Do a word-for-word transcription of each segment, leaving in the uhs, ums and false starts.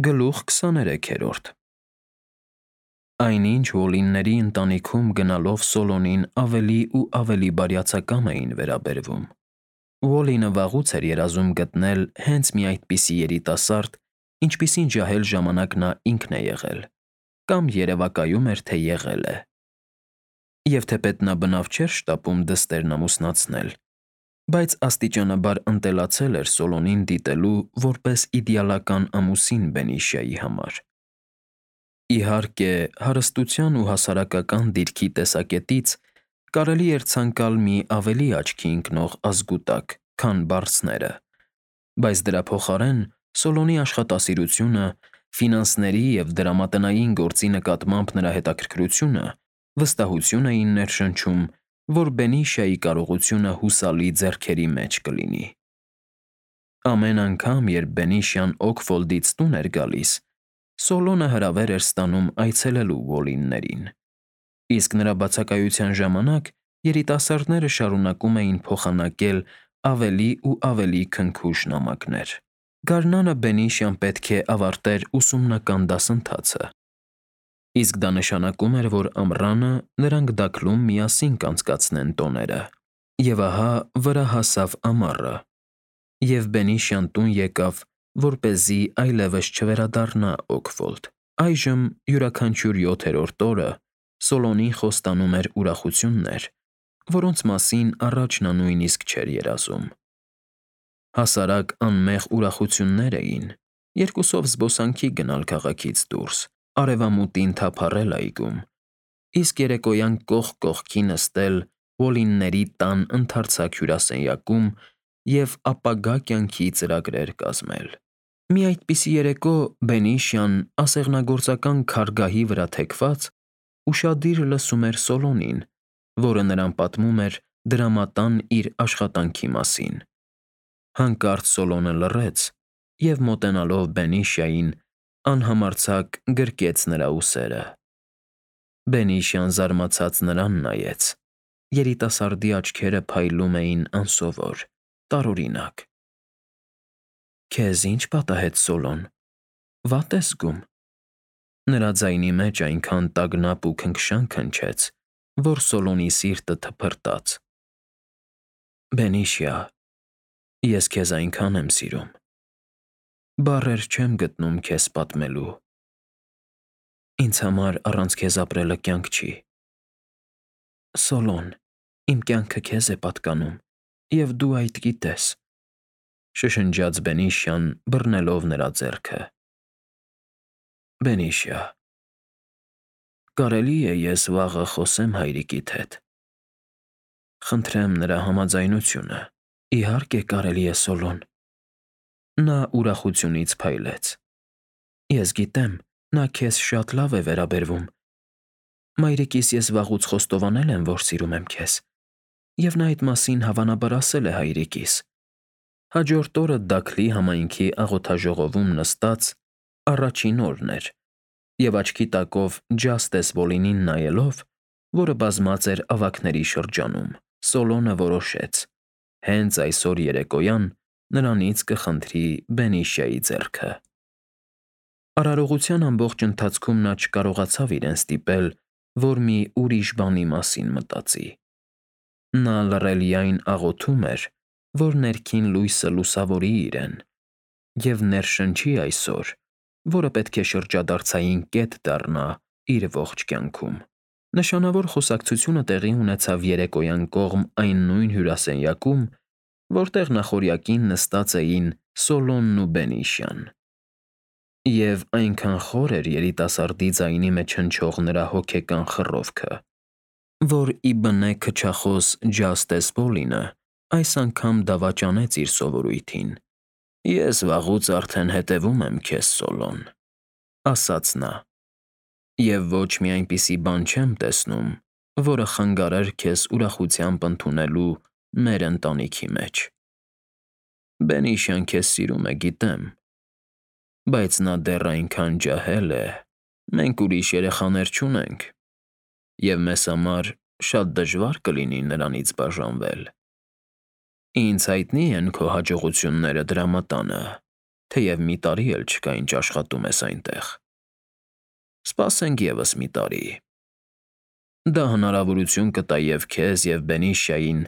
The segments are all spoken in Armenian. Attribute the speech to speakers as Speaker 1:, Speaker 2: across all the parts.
Speaker 1: Գլուխ քսաներեքերորդ Այնինչ Ուոլլինների ընտանիքում գնալով Սոլոնին ավելի ու ավելի բարյացակամ էին վերաբերվում։ Ուոլլինը վաղուց էր երազում գտնել հենց մի այդպիսի երիտասարդ, ինչպիսին ջահել ժամանակ նա ինքն է եղել, կամ երևակայում էր, թե եղել է։ Եվ թեպետ նա բնավ չէր շտապում դստերն ամուսնացնել, բայց աստիճանաբար ընտելացել էր Սոլոնին դիտելու որպես իդեալական ամուսին Բենիշիայի համար։ Իհարկե, հարստության ու հասարակական դիրքի տեսակետից կարելի էր ցանկալ մի ավելի աչքի ընկնող ազգուտակ, քան բարձները, բայց դրա փոխարեն Սոլոնի աշխատասիրությունը, ֆինանսների և դրամատնային գործի նկատմամբ նրա հետաքրքրությունը վստահություն էին ներշնչում, որ Բենիշիայի կարողությունը հուսալի ձեռքերի մեջ կլինի։ Ամեն անգամ, երբ Բենիշիան Օքֆոլդից տուն էր գալիս, Սոլոնը հրավեր էր ստանում այցելելու Ուոլլիններին, իսկ նրա բացակայության ժամանակ երիտասարդները շարունակում էին փոխանակել ավելի ու ավելի քնքուշ նամակներ։ Գարնանը Բենիշիան պետք է ավարտեր ուսումնական դասընթացը, իսկ դա նշանակում էր, որ ամռանը նրանք Դաքլում միասին կանցկացնեն տոները։ Եվ ահա վրա հասավ ամառը, և Բենիշիան տուն եկավ, որպեսզի այլևս չվերադառնա Օքֆոլդ։ Այժմ յուրաքանչյուր յոթերորդ օրը Սոլոնին խոստանում էր ուրախություններ, որոնց մասին առաջ նա նույնիսկ չէր երազում։ Հասարակ անմեղ ուրախություններ էին՝ երկուսով զբոսանքի գնալ քաղաքից դուրս, արևամուտին թափառել այգում, իսկ երեկոյան կողք կողքի նստել Ուոլլինների տան ընդարձակ հյուրասենյակում և ապագա կյանքի ծրագրեր կազմել։ Մի այդպիսի երեկո Բենիշիան, ասեղնագործական քարգահի վրա թեքված, ուշադիր լսում էր Սոլոնին, որը նրան պատմում էր դրամատան իր աշխատանքի մասին։ Հանկարծ Սոլոնը լռեց և, մոտենալով Բենիշիային, անհամարձակ գրկեց նրա ուսերը։ Բենիշիան զարմացած նրան նայեց։ Երիտասարդի աչքերը փայլում էին անսովոր, տարօրինակ։ «Քեզ ի՞նչ պատահեց, Սոլոն, վատ ես զգում»։ Նրա ձայնի մեջ այնքան տագնապ ու քնքշանք հնչեց, որ Սոլոնի սիրտը թփրտաց։ «Բենիշիա, ես քեզ այնքան եմ սիրում։ Բառեր չեմ գտնում քեզ պատմելու։ Ինձ համար առանց քեզ ապրելը կյանք չի։ Սոլոն, իմ կյանքը քեզ է պատկանում, և դու այդ գիտես», ֊ շշնջաց Բենիշիան, բռնելով նրա ձեռքը։ «Բենիշիա, կարելի՞ է ես վաղը խոսե՞մ հայրիկիդ հետ»։ «Խնդրեմ նրա համաձայնությունը»։ «Իհարկե կարելի է, Սոլոն»։ Նա ուրախությունից փայլեց։ «Ես գիտեմ, նա քեզ շատ լավ է վերաբերվում։ Մայրիկիս ես վաղուց խոստովանել եմ, որ սիրում եմ քեզ, և նա այդ մասին հավանաբար ասել է հայրիկիս»։ Հաջորդ օրը Դաքլի համայնքի աղոթաժողովում նստած առաջին օրն էր, և աչքի տակով Ջաստես Ուոլլինին նայելով, որը բազմած էր ավագների շրջանում, Սոլոնը որոշեց. հենց այսօր երեկոյան նրանից կխնդրի Բենիշիայի ձեռքը։ Արարողության ամբողջ ընթացքում նա չկարողացավ իրեն ստիպել, որ մի ուրիշ բանի մասին մտածի։ Նա լռելիայն աղոթում էր, որ ներքին լույսը լուսավորի իրեն և ներշնչի այսօր, որը պետք է շրջադարձային կետ դառնա իր ողջ կյանքում։ Նշանավոր խոսակցությունը տեղի ունեցավ երեկոյան կողմ այն նույն հյուրասենյակում, որտեղ նախօրյակին նստած էին Սոլոնն ու Բենիշիան։ Եվ այնքան խոր էր երիտասարդի ձայնի մեջ հնչող նրա հոգեկան խռովքը, որ ի բնե քչախոս Ջաստես Ուոլլինը այս անգամ դավաճանեց իր սովորույթին։ «Ես վաղուց արդեն հետևում եմ քեզ, Սոլոն», ֊ ասաց նա, «և ոչ մի այնպիսի բան չեմ տեսնում, որը խանգարեր քեզ ուրախությամբ ընդունելու մեր ընտանիքի մեջ։ Բենիշիան քեզ սիրում է, գիտեմ, բայց նա դեռ այնքան ջահել է, մենք ուրիշ երեխաներ չունենք, և մեզ համար շատ դժվար կլինի նրանից բաժանվել։ Ինձ հայտնի են քո հաջողությունները դրամատանը, թեև մի տարի էլ չկա, ինչ աշխատում ես այնտեղ։ Սպասենք ևս մի տարի։ Դա հնարավորություն կտա և քեզ, և Բենիշիային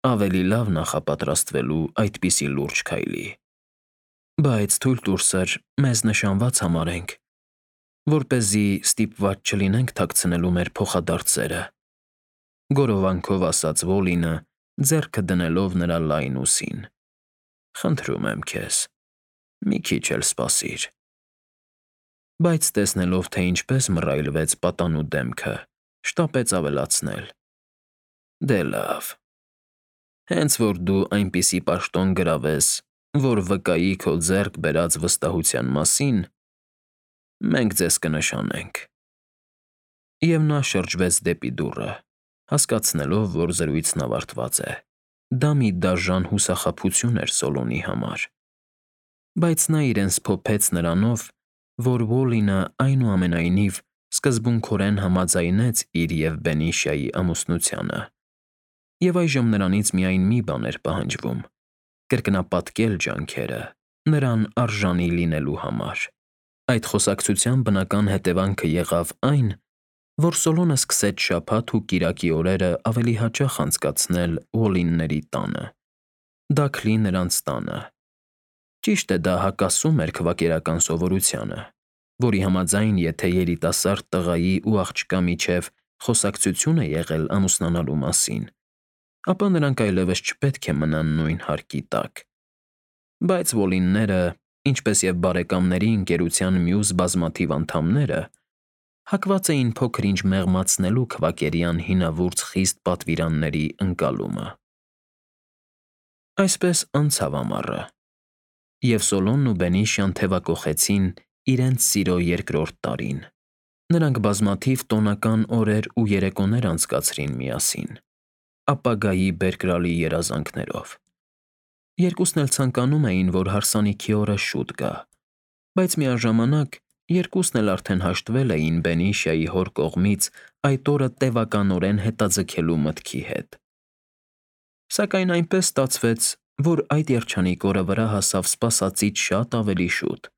Speaker 1: ավելի լավ նախապատրաստվելու այդպիսի լուրջ քայլի։ Բայց թույլ տուր, սըր, մեզ նշանված համարենք, որպեսզի ստիպված չլինենք թաքցնելու մեր փոխադարձերը,֊ գորովանքով ասաց Վոլինը, ձեռքը դնելով նրա լայն ուսին։ Խնդրում եմ քեզ, մի քիչ էլ սպասիր։ Բայց տեսնելով, թե ինչպես մռայլվեց պատանու դեմքը, շտապեց ավելացնել. Դե լավ, հենց որ դու այնպիսի պաշտոն գրավես, որ վկայի քո ձեռք բերած վստահության մասին, մենք ձեզ կնշանենք։ Եվ նա շրջվեց դեպի դուռը, հասկացնելով, որ զրույցն ավարտված է։ Դա մի դաժան հուսախաբություն էր Սոլոմոնի համար։ Բայց նա իրեն սփոփեց նրանով, որ Ոլինը այնուամենայնիվ սկզբունքորեն համաձայնեց իր և Բենիշիայի ամուսնությանը, և այժմ նրանից միայն մի բան էր պահանջվում՝ կրկնապատկել ջանքերը նրան արժանի լինելու համար։ Այդ խոսակցության բնական հետևանքը եղավ այն, որ Սոլոմոնը սկսեց շաբաթ ու կիրակի օրերը ավելի հաճախ անցկացնել Ոլինների տանը, Դաքլի նրանց տանը։ Ճիշտ է, դա հակասում էր քվակերական սովորությանը, որի համաձայն, եթե երիտասարդ տղայի ու աղջկա միջև խոսակցություն է եղել ամուսնանալու մասին, ապա նրանք այլևս չպետք է մնան նույն հարկի տակ։ Բայց Ոլինները, ինչպես և բարեկամների ընկերության մյուս բազմաթիվ անդամները, հակված էին փոքր-ինչ մեղմացնելու քվակերյան հինավուրց խիստ պատվիրանների ընկալումը։ Այսպես անցավ ամառը, և Սոլոմոնն ու Բենիշիան թևակոխեցին իրենց սիրո երկրորդ տարին։ Նրանք բազմաթիվ տոնական օրեր ու երեկոներ անցկացրին միասին, ապագայի բերկրալի երազանքներով։ Երկուսն էլ ցանկանում էին, որ հարսանիքի օրը շուտ գա, բայց միաժամանակ երկուսն էլ արդեն հաշտվել էին Բենիշիայի հոր կողմից այդ օրը տևականորեն հետաձգելու մտքի հետ։ Սակայն այնպես ստացվեց, որ այդ երջանիկ օրը վրա հասավ սպասածից շատ ավելի շուտ։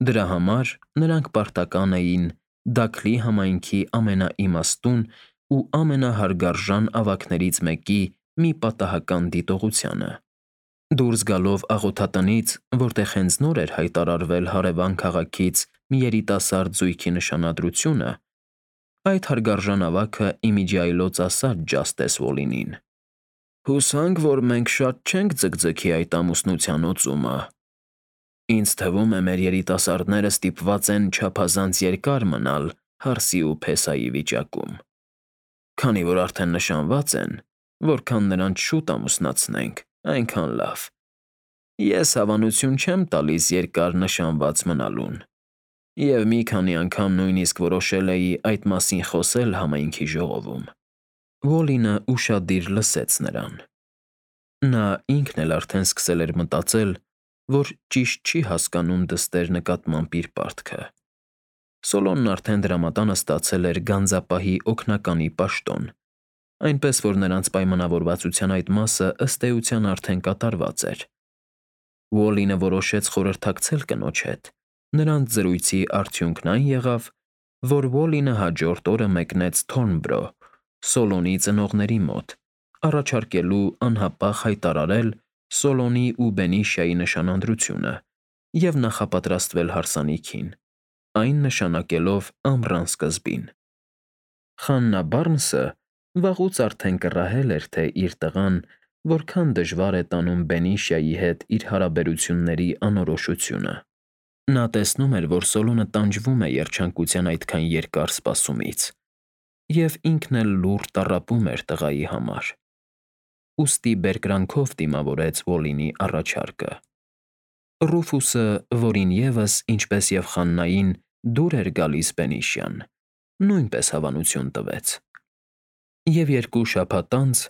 Speaker 1: Դրա համար նրանք պարտական էին Դաքլի համայնքի ամենաիմաստուն ու ամենահարգարժան ավագներից մեկի մի պատահական դիտողությանը։ Դուրս գալով աղոթատնից, որտեղ հենց նոր էր հայտարարվել հարևան քաղաքից մի երիտասարդ զույգի նշանադրությունը, այդ հարգարժան ավագը ի միջի այլոց ասաց Ջաստես Վոլինին. «Հուսանք, որ մենք շատ չենք ձգձգի այդ ամուսնության օծումը։ Ինձ թվում է, մեր երիտասարդները ստիպված են չափազանց երկար մնալ հարսի ու փեսայի վիճակում։ Քանի որ արդեն նշանված են, որքան նրանց շուտ ամուսնացնենք, այնքան լավ։ Ես հավանություն չեմ տալիս երկար նշանված մնալուն, և մի քանի անգամ նույնիսկ որոշել էի այդ մասին խոսել համայնքի ժողովում»։ Վոլինը ուշադիր լսեց նրան։ Նա ինքն էլ արդեն սկսել էր մտածել, որ ճիշտ չի հասկանում դստեր նկատմամբ իր պարտքը։ Սոլոմոնն արդեն դրամատանը ստացել էր գանձապահի օգնականի պաշտոն, այնպես որ նրանց պայմանավորվածության այդ մասը ըստ էության արդեն կատարված էր։ Վոլինը որոշեց խորհրդակցել կնոջ հետ։ Նրանց զրույցի արդյունքն այն եղավ, որ Վոլինը հաջորդ օրը մեկնեց Թորնբրո՝ Սոլոմոնի ծնողների մոտ, առաջարկելու անհապաղ հայտարարել Սոլոմոնի ու Բենիշիայի նշանադրությունը և նախապատրաստվել հարսանիքին, այն նշանակելով ամռան սկզբին։ Խաննա Բարնսը վաղուց արդեն կռահել էր, թե իր տղան որքան դժվար է տանում Բենիշիայի հետ իր հարաբերությունների անորոշությունը։ Նա տեսնում էր, որ Սոլոմոնը տանջվում է երջանկության այդքան երկար սպասումից, և ինքն էլ լուռ տառապում էր տղայի համար։ Ուստի բերկրանքով դիմավորեց Վոլինի առաջարկը։ Ռուֆուսը, որին ևս, ինչպես և Խաննային, դուր էր գալիս Բենիշիան, նույնպես հավանություն տվեց։ Եվ երկու շաբաթ անց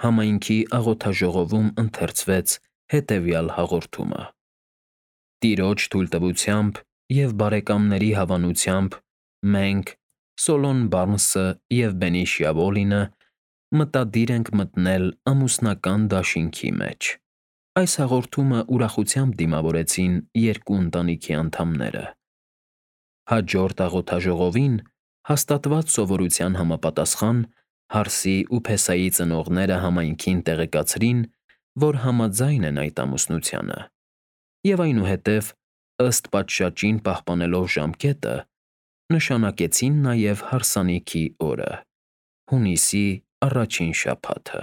Speaker 1: համայնքի աղոթաժողովում ընթերցվեց հետևյալ հաղորդումը. «Տիրոջ թույլտվությամբ և բարեկամների հավանությամբ մենք՝ Սոլոմոն Բարնսը և Բենիշիա Վոլինը, մտադիր ենք մտնել ամուսնական դաշինքի մեջ»։ Այս հաղորդումը ուրախությամբ դիմավորեցին երկու ընտանիքի անդամները։ Հաջորդ աղոթաժողովին հաստատված սովորության համապատասխան Հարսի ու Փեսայի ծնողները համայնքին տեղեկացրին, որ համաձայն են այդ ամուսնությանը, և այնուհետև, ըստ պատշաճին պահպանելով ժամկետը, նշանակեցին նաև հարսանիքի օրը՝ հունիսի առաջին շաբաթը։